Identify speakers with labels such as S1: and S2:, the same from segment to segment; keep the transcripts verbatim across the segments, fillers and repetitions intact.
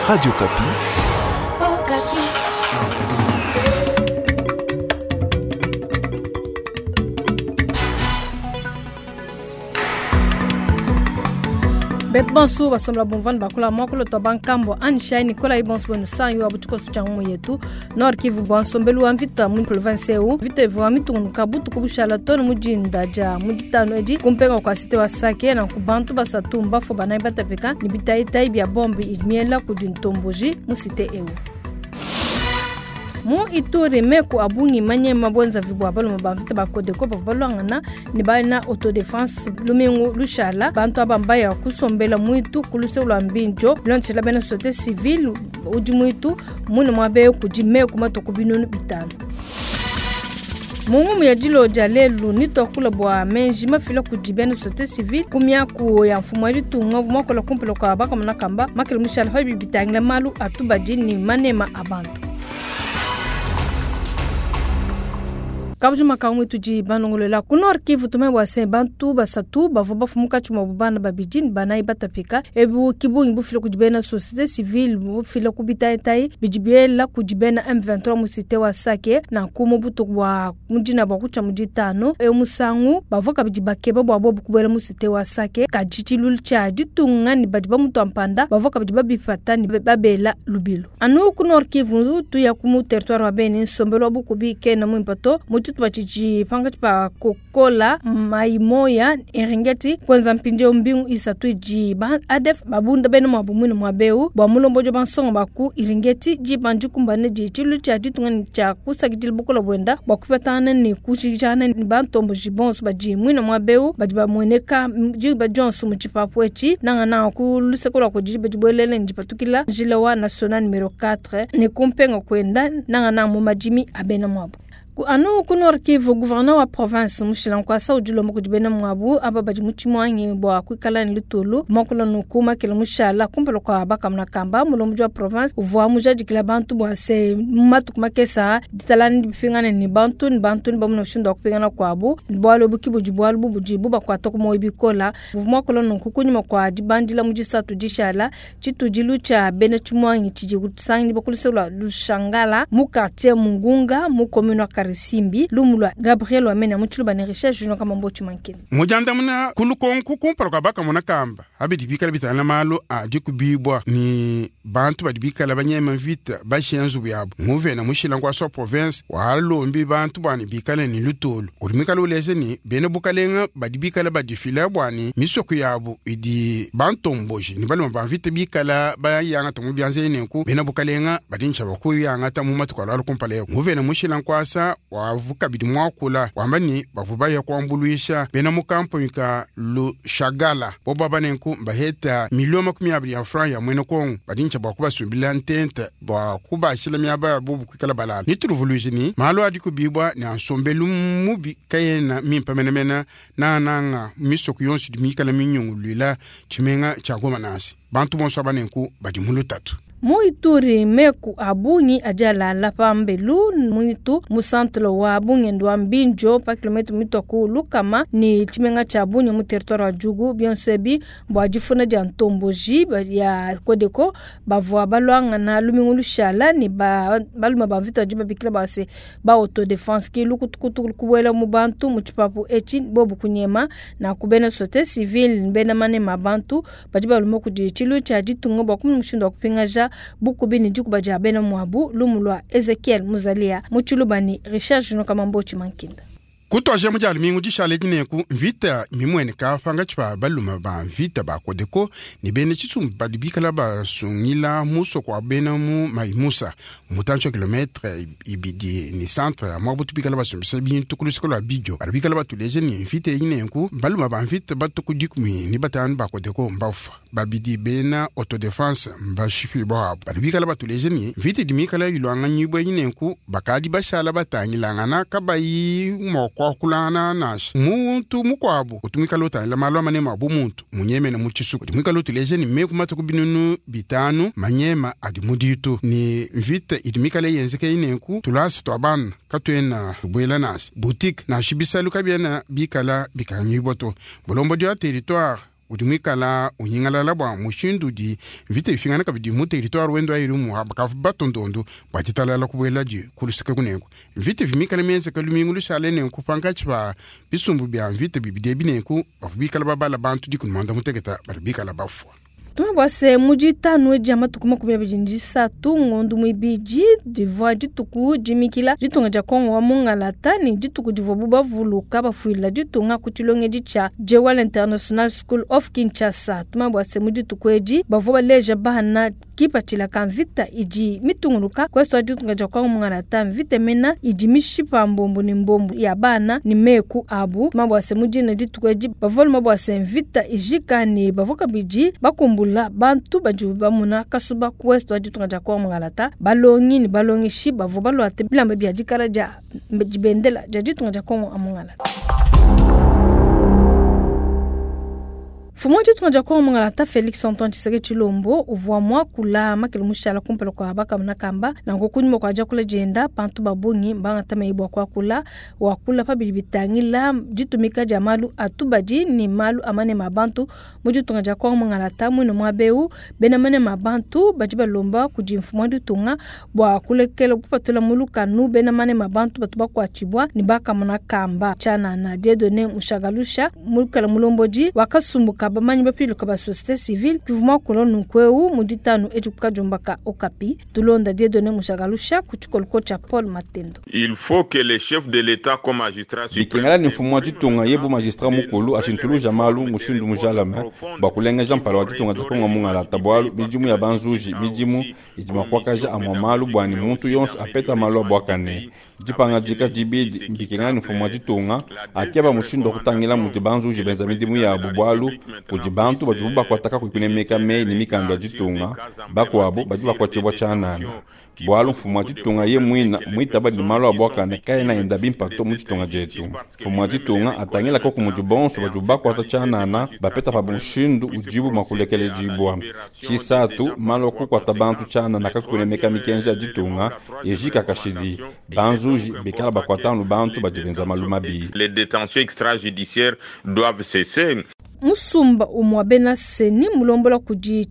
S1: Radio Okapi.
S2: Okapi.
S3: Betu bonsu basomla bumvani bakula mwakolo twa bankambo anishai nikola ibonsu bwenu sanyu wa butikosu cha ngumu yetu Nord Kivu bwa nsombelu wa mvita mu province eu vita ivua mitungunuka butuku bushala tonu mujinda ja muditano edi kumpenga kwa site wa Sake na kubantu basatu mbafo banayi batapeka ni bitaitai bya bombi imiela kudi ntomboji mu site eu. Mu Ituri meku abungi manyema bwenza vibwa balume ba mvita ba Codeco bavua balwangana ni bana autodefense lumingu lushala bantu aba mbaya kusombela mwitu kuluse lwa mbinjo lonchela bena société civile udi mwitu mune mwabe kudi meku matuku binunu bitano. Mungu ya dilo ja lelu ni twakula bwa menji mafila kudi bena société civile kumyaku ya mfumo ya ditunga mwakola kumpela kwa bakamona kamba makele mushala pa bitangila malu atubadi ni manema abantu. Kabujuma kamwe tudi banongolela ku Nord Kivu tume bwase bantu basatu bavua bafumuka tshimua bana babidi ni banayi batapika ebu kibungi bufile kudi bena société civile bufile ku bitaitai bidi biela kudi bena M vingt-trois mu cité wa Sake na ku butuku bwa mudina bwa kutshia muditanu e musangu bavua kabidi bakeba bwa bobu kubuela mu cité wa Sake kadi tshilulu tshia ditunga ni badi bamutua mpanda bavua kabidi babipata ni babela lubilu anu ku Nord Kivu tuya ku mu territoire wa Beni nsombelu wa bukubi kena muimpato mu tshitupa panga pa kokola maimoya Eringeti kwenza mpinje mbingu isatu ji ba A D F babunda bena mwabu mwini mwabeu bwa mulombo jo bansonga baku Eringeti ji banji kumbane ji chilu cha ditunga ni cha kusakidila bukola bwenda bwa kupatana ni kushijana ni bantombo jibonso baji mwini mwabeu badi bamweneka ji ba Johnson mu chipapu echi nanga na ku lusekola ku ji bajibwelele njipatukila njila wa national numero quatre ni kumpenga kwenda nanga na mu majimi abena mwabu. Anu ku Nord Kivu gouverneur wa province mushila nkwasa udi ulomba kudi bena mwabu aba badi mu tshimwangi bua kuikala ne lutulu mwakula nuku makele mushala kumpala kua bakamuna kamba mulomboji wa province uvua mujadikila bantu bua se matuku makesa ditalani dipingane ni bantu ni bantu ni bamuna mushindu wa kupingana kuabu bualu ebu ki budi bualu bubudi bubakuata ku moyo bikola uvua mwakula nuku kunyima kua dibandila mu disatu dishala tshitudilu tshia bena tshimwangi tshidi kusangi bakuluse lua lushangala mu quartier Mungunga mu commune wa Simbi lumulwa Gabriel Wamena mutshulu ne Richard Junior kama mbochi mankini
S4: mujandamuna kulukonku kumpala kwa bakamona kamba abidi bikala bitana malu a dikubibwa ni bantu badi bikala banyema mvita bashenzu byabo muvena mushila kwa so province walombi bantu bwani bikala ni lutulu uri mikala uleze ni bene bukalenga badi bikala badifila bwani misoko yabo idi bantomboji ni baloma bamvita bikala bayanga tomu byanze nenku bene bukalenga badi nshaba kuyanga tamu matukwala kumpala yako muvena mushila nkwasa wavuka bidi mwakula wamba ni bavuba ya kuambuluisha bena mukampo ka lushagala bobo abanenku mbaheta milioni makumi abiri ya franc ya mwene Kongo badincha bwa kubasumbila ntente bwa kubashila miaba ya bubu kwikala balala nituruvuluji ni malo adi kubibwa ni ansombelu mubi kayena mimpa menemena nananga misoko yonso di mikala minyungulwila tshimenga tshia Goma nasi bantu bonso abanenku badi mulutatu.
S3: Mu Ituri meku abungi ajalala pambelu munitu mu centre wa bungendo wa Mbinjo pa kilometre mitoku lukama ni tshimenga tshia Bunia mu territoire wa Djugu bionso ebi bua difuna dia ntomboji ya Codeco bavua balwangana lumingu lushala ni ba baluma ba mvita badi babikila base ba autodefense ki lukutukutu kubuela mu bantu mu tshipapu etshi bobu kunyema na kubena société civile bena manema bantu badi baluma kudi tshilu tshia ditunga bua kumuna mushindu wa kupingaja bukubi ni dikuba dia bena mwabu lumulwa Ezekiel Muzalia muchulubani Richard Juno Kamambochi Mankinda.
S4: Kutwaje mujali mingu dishale dineku mvita mimweneka panga tshipa baluma ba mvita ba Codeco ni bene tshisumbu badi bikala basungila musoko wa bena mu Maimusa mutantsho kilometre ibidi ni centre ya mwabutu bikala basumbisa bintu ku luseko lua bidio badi bikala batuleje ni mvita eyi baluma ba mvita batuku dikumi ni batanu ba Codeco mbafa babidi bena autodefense mbashipi bwabo badi bikala batuleje ni mvita idi mikala ilwanganyibwa eyi nenku bakadi bashala batangilangana kabayi moko kwakulana nasha muntu mukwabo utumikala utangila malu amanema abu muntu munyemene mu tshisuku dimwikala utuleje ni meku matuku binunu bitanu manyema adi muditu ni mvita idimikala yenzeke inenku tulasi twa bana katuena tubuela nasi boutique nashi bisalu kabiena bikala bikanyibwa to bulombo dia territoire udi muikala unyingalala bua mushindu udi mvita ifingana kabidi mu territoire wende wa Irumu bakavu batondondu bua ditalala kubueladi ku luseke kunenku mvita ivi mikala mienzeka lumingu lushala nenku pankatshi pa bisumbu bia mvita bibidi ebi nenku bavua bikala babala bantu dikumi muanda muteketa badi bikala bafua.
S3: Tuma bua se mu ditanu dia matuku makumi abidi ne disatu ngondu muibidi divua dituku dimikila ditunga dia Kongo wa Mungalata ne dituku divuabu bavuluka bafuila ditunga ku tshilongedi tshia Jewel International School of Kinshasa. Tuma bua se mu dituku edi bavua baleja bana kipatshila ka mvita idi mitunguluka kwesu ditunga dia Kongo Mungalata mvita mena idi mishipa mbombo ne mbombo ya bana ne meku abu. Tuma bua se mu dina dituku edi bavua luma bua se mvita ijika ne bavua kabidi bakumbula bantu badi bamuna kasuba ku west wa ditunga dia Kongo Mungalata balongi ne balongeshi bavua baluate bilamba bia dikala dia dibendela dia ditunga dia Kongo Mungalata. Mfumu wa ditunga dia Kongo Mungalata Felix Antoine Tshisekedi Tshilombo uvua muakula makele mushala kumpala kua bakamuna kamba nanku kunyima kua diakula dienda bantu ba bungi mbangata meyi bua kuakula wakula pabidi bitangila ditumika dia malu atubadi ne malu a manema a bantu mu ditunga dia Kongo Mungalata muine muaba eu bena manema a bantu badi balomba kudi mfumu wa ditunga bua kulekela kupatula mu lukanu bena manema a bantu batu bakuatshibua ne bakamuna kamba tshianana Dieudonné Mushagalusha mulukela mulombodi wakasumbuka bamanyi bapiluka ba société civile kivuma kula nunkueu mu ditanu edi kukajumbaka Okapi tulonda Dieudonné Mushagalusha ku tshikoloko tshia Paul Matendo.
S1: Il faut que les chefs de l'État comme magistrat
S5: bikengela ni mfumu wa ditunga yebu magistrat mukulu ashintuluja malu mushindu mujalame bua kulengeja mpala wa ditunga dia Kongo Mungalata bualu midimu ya banzuji midimu idi makuakaja amua malu buani muntu yonso apeta malu abuakane dipangadika dibidi bikengela ni mfumu wa ditunga akeba mushindu wa kutangila mudi banzuji benza midimu yabu bualu kudi bantu badi bakuataka kunemeka meyi ne mikanda ya ditunga bakuabu badi bakuatshibua tshianana bualu mfumu wa ditunga ye muina muitaba ne malu abuakane kaena enda bimpa to mu ditunga dietu. Mfumu wa ditunga atangila koku mudi bonso badi bakuata tshianana bapeta pa mushindu udibu mua kulekeledibua. Tshisatu malu akukuata bantu tshianana kakunemeka mikenji ya ditunga ejika kashidi banzuji bikala bakuatanu bantu badi benza malu mabi.
S1: Les détentions extrajudiciaires doivent cesser.
S3: Musumba umwa bena seni mulombola kudi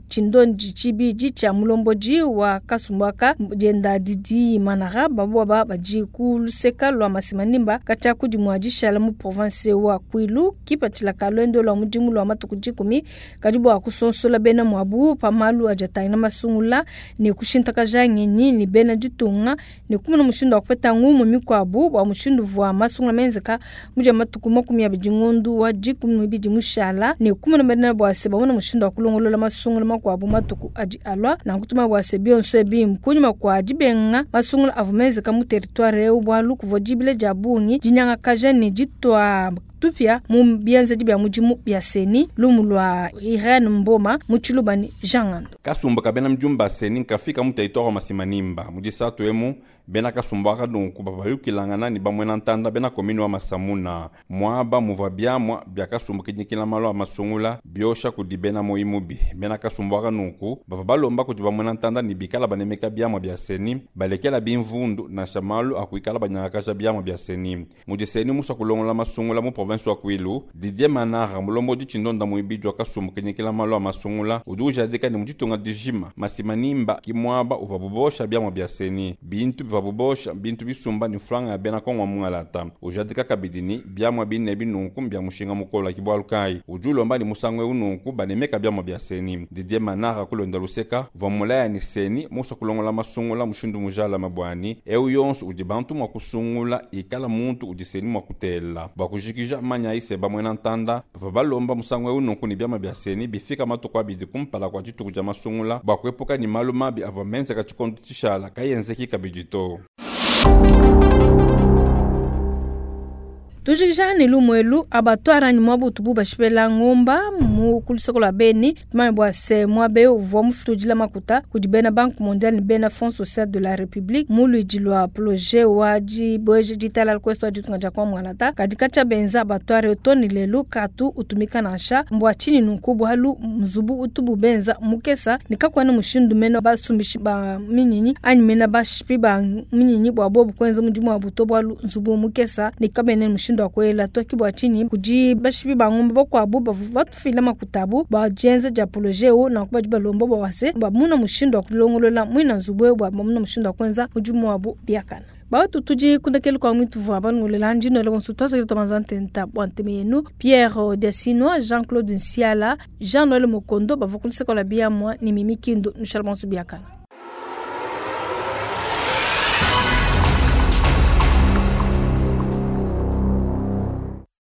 S3: chindondi chibidi cha mulomboji wa kasumbaka jenda Didi Manara babwa badi ku luseka lwa Masimanimba kacha kudi mwadishala mu province wa Kwilu kipatshila kalwendo lwa mudimu lwa matuku dikumi kadi bua kusonsola bena mwabu pa malu ajatangila masungula ne kushintakaja ngenyi ne bena ditunga ne kumuna mushindu wa kupeta ngumu mikuabu bua mushindu vua masungula menzeka muja matuku makumi abidi ngondu wa dikumi n'ibidi mushala ne kumuna bena bua se bamona mushindu wa kulongolola masungula makuabu matuku adi alwa na kutuma bua se bionso ebi kunyima kua dibenga masungula avua menzeka mu territoire eu bualu kuvua dibile dia bungi dinyangakaja ne ditua tupia mu bienzedi bia mudimu bia seni lumu lwa Irene Mboma mu Tshilubani Jean Ngando.
S5: Kasumba kabena mjumba seni nkafika mu territoire wa Masimanimba mu disatu emu bena kasumba akadunku babayukilangana ni bamwena ntanda bena komini wa Masamuna mwaba muvua biamwa bia kasumba kinyikila malu a masungula biosha kudi bena moyi mubi bena kasumba akanunku bava balomba kudi bamwena ntanda ni bikala banemeka biamwa bia seni balekela bimvundu nansha malu akuikala banyangakaja biamwa bia seni mudi seni musa kulongola masungula mu province wa Kwilu Didier Manara mulombo di chindonda muibidi wa kasumba kinyikila malu a masungula udi ujadika ni muditunga dijima Masimanimba kimwaba uva bubosha biamwa bia seni bintu biva bubosha bintu bisumba ni franga ya bena Kongo Mungalata ujadika kabidi ni biamwa bine binunku bya mushinga mukola kibwalu kai udi ulomba ni musango ununku banemeka biamwa bia seni Didier Manara kulonda luseka va mulaya ni seni musa kulongola masungula mushindu mujala mabwani eu yonso udi bantu mwa kusungula ikala muntu udi seni mwa kutela bakujikija manya ise bamwena ntanda bava balomba musango ununku ni biamwa bia seni bifika matuku abidi kumpala kwa dituku dia masungula bwa kuepuka ni malu mabi avua menzeka tshikondo tshishala kayenzeki kabidi to.
S3: Tujikija ne lumwelu abatwara ni mwabutu bu bashipela ngomba mu kulusoko lwa Beni tumanye bua se mwabe uvua mufutudila makuta kudi bena Banque Mondiale ne bena Fonds Social de la République mu luidi lua projet wa dibweje ditala kwesto wa ditunga dia Kongo Mungalata kadi katshia benza abatware toni lelu katu utumika nansha mbua tshini nunku bualu mzubu utubu benza mukesa ne kakuena mushindu mena basumbishi ba minyinyi anyi mena bashipi ba minyinyi bua bobu kuenza mudimu wa buto bualu nzubu mukesa ne kabene mushindu mushindu wa kuela to ki bua tshinyi kudi bashipi ba ngombe bakuabu bavua batufila makuta abu bua dienza dia projet eu nanku badi balomba bua wase bamuna mushindu wa kulongolola muina nzubu eu bua bamuna mushindu wa kuenza mudimu wabu biakana. Bawatu tudi kundakelu kwa mwitu vua banungulela ndino ele bonso twasakile twamanza ntenta bua nteme yenu Pierre Desinois, Jean-Claude Nsiala, Jean-Noël Mokondo bavua kulisekola biamwa ni Mimi Kindu nushala bonso biakana.